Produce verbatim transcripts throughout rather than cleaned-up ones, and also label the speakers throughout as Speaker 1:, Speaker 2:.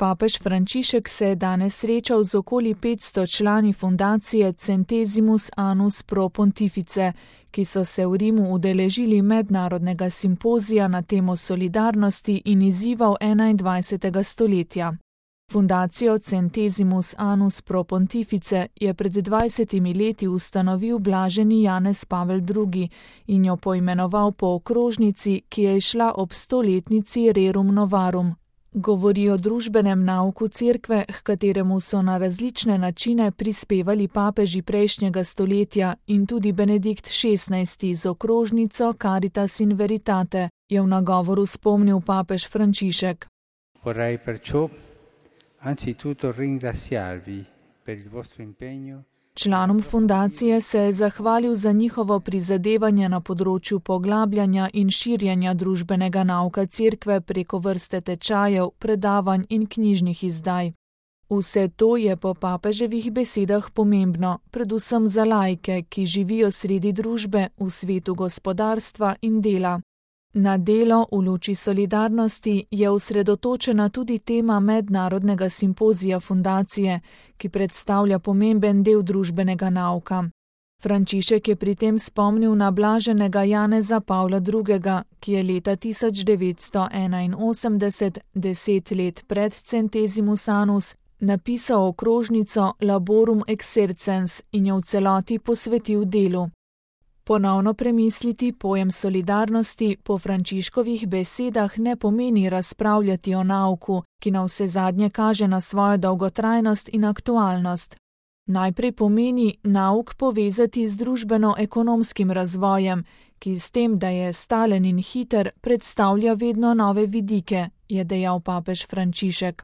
Speaker 1: Papež Frančišek se je danes srečal z okoli petsto člani fundacije Centesimus Annus Pro Pontifice, ki so se v Rimu udeležili mednarodnega simpozija na temo solidarnosti in izzivov enaindvajsetega stoletja. Fundacijo Centesimus Annus Pro Pontifice je pred dvajsetimi leti ustanovil blaženi Janez Pavel drugi in jo poimenoval po okrožnici, ki je šla ob stoletnici Rerum Novarum. Govori o družbenem nauku cerkve, h kateremu so na različne načine prispevali papeži prejšnjega stoletja in tudi Benedikt šestnajsti z okrožnico Caritas in Veritate, je v nagovoru spomnil papež Frančišek.
Speaker 2: Vorrei perciò anzitutto ringraziarvi per il vostro impegno.
Speaker 1: Članom fundacije se je zahvalil za njihovo prizadevanje na področju poglabljanja in širjenja družbenega nauka cerkve preko vrste tečajev, predavanj in knjižnih izdaj. Vse to je po papeževih besedah pomembno, predvsem za laike, ki živijo sredi družbe v svetu gospodarstva in dela. Na delo v luči solidarnosti je osredotočena tudi tema mednarodnega simpozija fundacije, ki predstavlja pomemben del družbenega nauka. Frančišek je pri tem spomnil na blaženega Janeza Pavla drugega, ki je leta tisoč devetsto enainosemdeset, deset let pred Centesimus Annus, napisal okrožnico Laborum Exercens in jo v celoti posvetil delu. Ponovno premisliti pojem solidarnosti po Frančiškovih besedah ne pomeni razpravljati o nauku, ki na vse zadnje kaže na svojo dolgotrajnost in aktualnost. Najprej pomeni nauk povezati z družbeno-ekonomskim razvojem, ki s tem, da je stalen in hiter, predstavlja vedno nove vidike, je dejal papež Frančišek.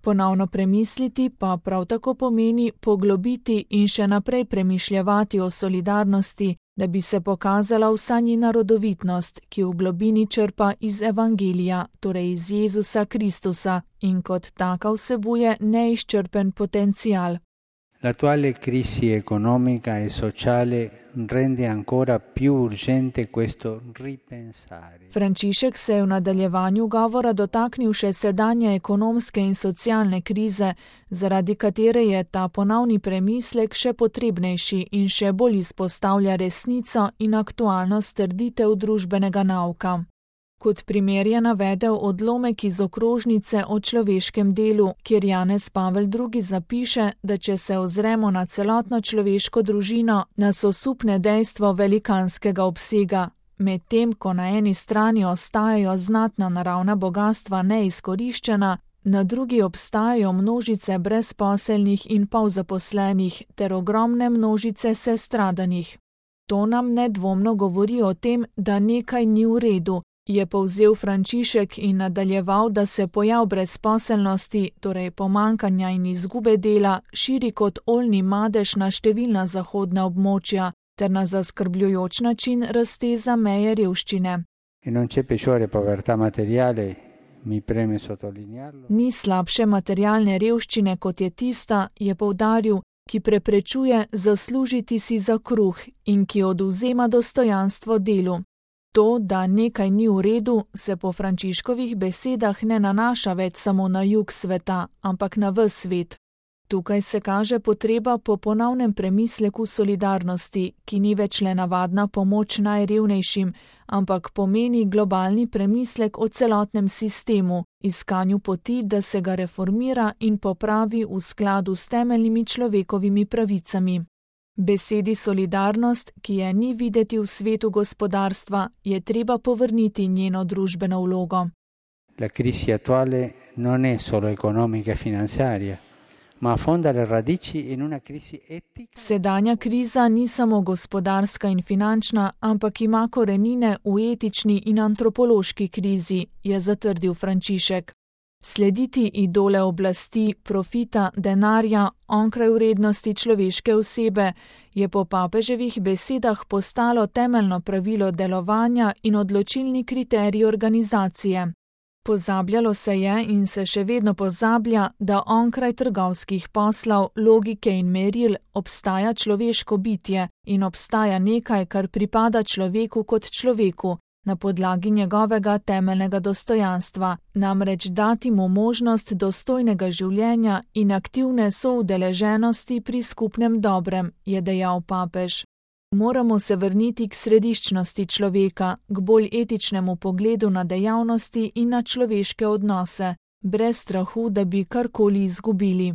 Speaker 1: Ponovno premisliti pa prav tako pomeni poglobiti in še naprej premišljevati o solidarnosti, da bi se pokazala vsa njena rodovitnost, ki v globini črpa iz Evangelija, torej iz Jezusa Kristusa, in kot taka vsebuje neizčrpen potencial.
Speaker 2: L'attuale crisi economica e sociale rende ancora più urgente questo ripensare.
Speaker 1: Frančišek se je v nadaljevanju govora dotaknil še sedanje ekonomske in socialne krize, zaradi katere je ta ponovni premislek še potrebnejši in še bolj izpostavlja resnico in aktualnost trditev družbenega nauka. Kot primer je navedel odlomek iz okrožnice o človeškem delu, kjer Janez Pavel drugi zapiše, da če se ozremo na celotno človeško družino, nas osupne dejstvo velikanskega obsega, medtem ko na eni strani ostajajo znatna naravna bogastva neizkoriščena, na drugi obstajajo množice brezposelnih in polzaposlenih ter ogromne množice sestradanih. To nam nedvomno govori o tem, da nekaj ni v redu, je povzel Frančišek in nadaljeval, da se pojav brezposelnosti, torej pomankanja in izgube dela, širi kot oljni madež na številna zahodna območja ter na zaskrbljujoč način razteza meje revščine. Ni slabše materialne revščine, kot je tista, je poudaril, ki preprečuje zaslužiti si za kruh in ki odvzema dostojanstvo delu. To, da nekaj ni v redu, se po Frančiškovih besedah ne nanaša več samo na jug sveta, ampak na ves svet. Tukaj se kaže potreba po ponovnem premisleku solidarnosti, ki ni več le navadna pomoč najrevnejšim, ampak pomeni globalni premislek o celotnem sistemu, iskanju poti, da se ga reformira in popravi v skladu s temeljnimi človekovimi pravicami. Besedi solidarnost, ki je ni videti v svetu gospodarstva, je treba povrniti njeno družbeno vlogo.
Speaker 2: La crisi attuale non è solo economica e finanziaria, ma affonda le radici in una crisi etica.
Speaker 1: Sedanja kriza ni samo gospodarska in finančna, ampak ima korenine v etični in antropološki krizi, je zatrdil Frančišek. Slediti idole oblasti, profita, denarja, onkraj vrednosti človeške osebe, je po papeževih besedah postalo temeljno pravilo delovanja in odločilni kriterij organizacije. Pozabljalo se je in se še vedno pozablja, da onkraj trgovskih poslov, logike in meril obstaja človeško bitje in obstaja nekaj, kar pripada človeku kot človeku, na podlagi njegovega temeljnega dostojanstva, namreč dati mu možnost dostojnega življenja in aktivne soudeleženosti pri skupnem dobrem, je dejal papež. Moramo se vrniti k središčnosti človeka, k bolj etičnemu pogledu na dejavnosti in na človeške odnose, brez strahu, da bi karkoli izgubili.